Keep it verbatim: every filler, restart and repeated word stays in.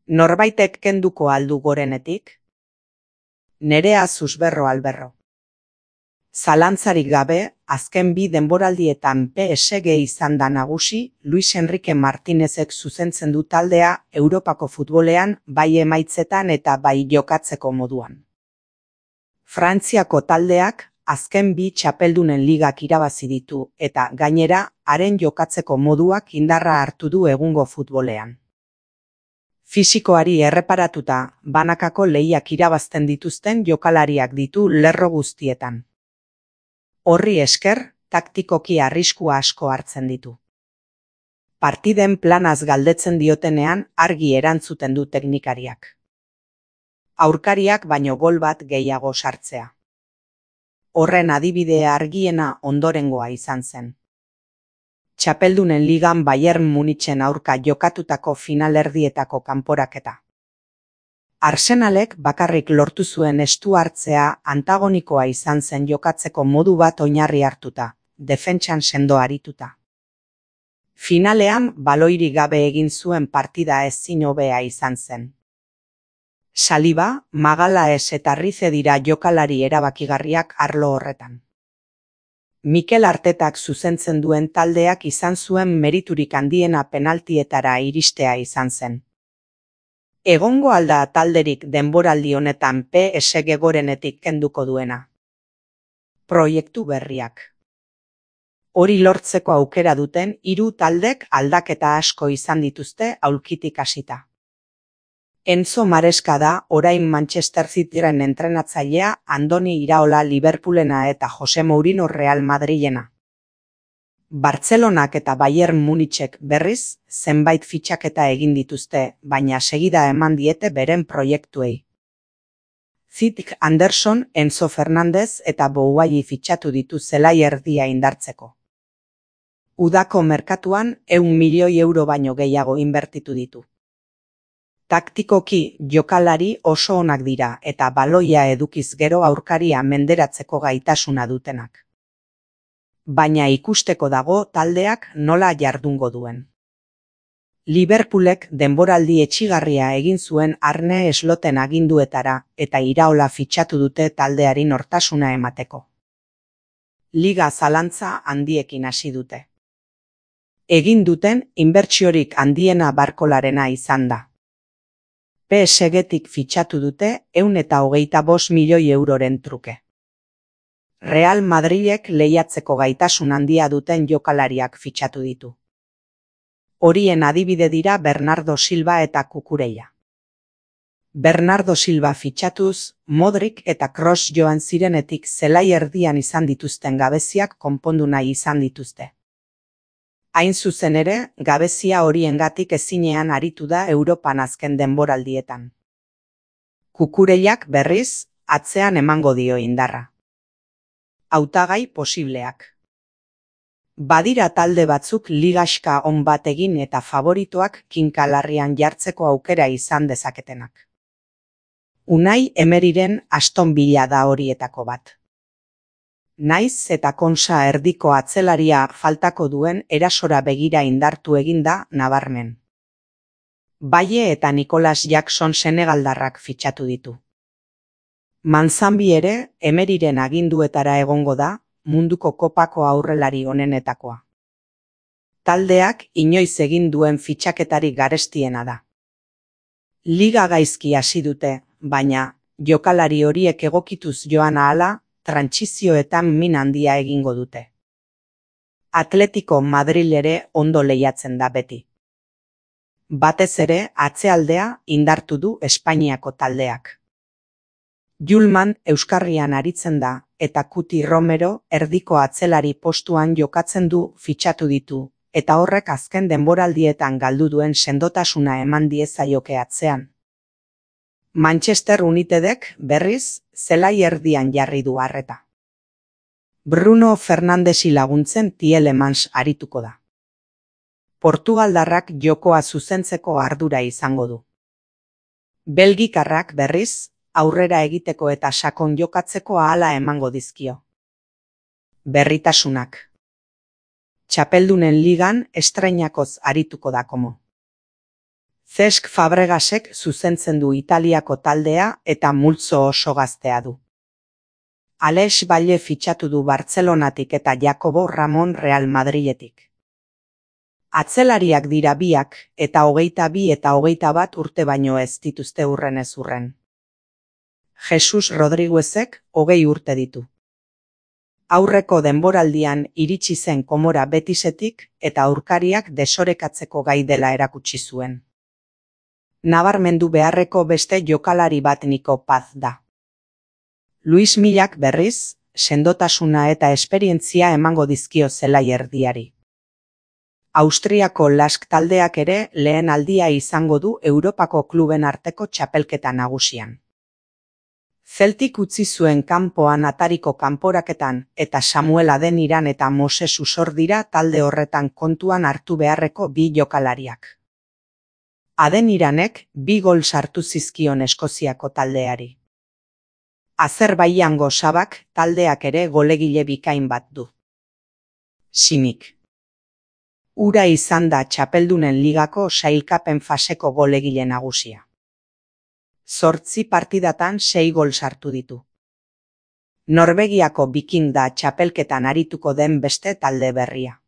Norbaitek kenduko aldu gorenetik? Nerea Susberro Alberro. Zalantzarik gabe, azken bi denboraldietan P S G izan da nagusi, Luis Enrique Martinezek zuzentzen du taldea Europako futbolean bai emaitzetan eta bai jokatzeko moduan. Frantziako taldeak azken bi txapeldunen ligak irabazi ditu eta gainera haren jokatzeko moduak indarra hartu du egungo futbolean. Fisikoari erreparatuta, banakako lehiak irabazten dituzten jokalariak ditu lerro guztietan. Horri esker, taktikoki arriskua asko hartzen ditu. Partiden planaz galdetzen diotenean argi erantzuten du teknikariak. Aurkariak baino gol bat gehiago sartzea. Horren adibidea argiena ondorengoa izan zen. Txapeldunen ligan Bayern Munichen aurka jokatutako finalerdietako kanporaketa. Arsenalek bakarrik lortu zuen estu hartzea antagonikoa izan zen jokatzeko modu bat oinarri hartuta, defentsan sendo arituta. Finalean baloirik gabe egin zuen partida ezin hobea izan zen. Saliba, Magalhaes eta Rize dira jokalari erabakigarriak arlo horretan. Mikel Artetak zuzentzen duen taldeak izan zuen meriturik handiena penaltietara iristea izan zen. Egongo alda talderik denboraldi honetan P S G gorenetik kenduko duena. Proiektu berriak. Hori lortzeko aukera duten hiru taldek aldaketa asko izan dituzte aulkitik hasita. Enzo Maresca da orain Manchester Cityren entrenatzailea, Andoni Iraola Liverpoolena eta Jose Mourinho Real Madrilena. Bartzelonak eta Bayern Munichek berriz zenbait fitxaketa egin dituzte, baina segida eman diete beren proiektuei. Cityk Anderson, Enzo Fernandez eta Boulaye fitxatu ditu zelai erdia indartzeko. Udako merkatuan ehun milioi euro baino gehiago inbertitu ditu. Taktikoki jokalari oso onak dira eta baloia edukiz gero aurkaria menderatzeko gaitasuna dutenak. Baina ikusteko dago taldeak nola jardungo duen. Liverpoolek denboraldi etxigarria egin zuen Arne Sloten aginduetara eta Iraola fitxatu dute taldeari nortasuna emateko. Liga zalantza handiekin hasi dute. Egin duten inbertsiorik handiena Barkolarena izan da. P S G-tik fitxatu dute ehun eta hogeita bost milioi euroren truke. Real Madrilek lehiatzeko gaitasun handia duten jokalariak fitxatu ditu. Horien adibide dira Bernardo Silva eta Cucurella. Bernardo Silva fitxatuz, Modric eta Kroos joan zirenetik zelai erdian izan dituzten gabeziak konpondu nahi izan dituzte. Hain zuzen ere, gabezia horiengatik ezinean aritu da Europan azken denboraldietan. Cucurellak berriz, atzean emango dio indarra. Hautagai posibleak. Badira talde batzuk ligaxka on bat egin eta favoritoak kinkalarrian jartzeko aukera izan dezaketenak. Unai Emeryren Aston Villa da horietako bat. Naiz eta Konsa erdiko atzelaria faltako duen erasora begira indartu eginda nabarmen. Baye eta Nicolas Jackson senegaldarrak fitxatu ditu. Manzanbi ere Emeryren aginduetara egongo da, munduko kopako aurrelari onenetakoa. Taldeak inoiz egin duen fitxaketari garestiena da. Liga gaizki hasi dute, baina jokalari horiek egokituz joan ahala, trantsizioetan min handia egingo dute. Atletico Madrid ere ondo lehiatzen da beti. Batez ere atzealdea indartu du Espainiako taldeak. Julman euskarrian aritzen da eta Cuti Romero erdiko atzelari postuan jokatzen du fitxatu ditu eta horrek azken denboraldietan galdu duen sendotasuna eman diezaioke atzean. Manchester Unitedek berriz zelai erdian jarri du arreta. Bruno Fernandesi laguntzen Tielemans arituko da. Portugaldarrak jokoa zuzentzeko ardura izango du. Belgikarrak berriz, aurrera egiteko eta sakon jokatzeko ahala emango dizkio. Berritasunak. Txapeldunen ligan estreinakoz arituko da komo. Cesc Fabregasek zuzentzen du Italiako taldea eta multzo oso gaztea du. Alex Balle fitxatu du Bartzelonatik eta Jacobo Ramon Real Madriletik. Atzelariak dira biak eta hogeita bi eta hogeita bat urte baino ez dituzte hurren ez hurren. Jesus Rodriguezek hogei urte ditu. Aurreko denboraldian iritsi zen Komora Betisetik eta aurkariak desorekatzeko gai dela erakutsi zuen. Nabarmendu beharreko beste jokalari bat Nico Paz da. Luis Millak berriz, sendotasuna eta esperientzia emango dizkio zelai erdiari. Austriako Lask taldeak ere lehen aldia izango du Europako kluben arteko txapelketa nagusian. Celtic utzi zuen kanpoan atariko kanporaketan eta Samuel Adeniran eta Moses Usor dira talde horretan kontuan hartu beharreko bi jokalariak. Adeniranek bi gol sartu zizkion Eskoziako taldeari. Azerbaijango Sabak taldeak ere golegile bikain bat du. Simik. Ura izan da txapeldunen ligako sailkapen faseko golegile nagusia. Zortzi partidatan sei gol sartu ditu. Norvegiako Viking da txapelketan arituko den beste talde berria.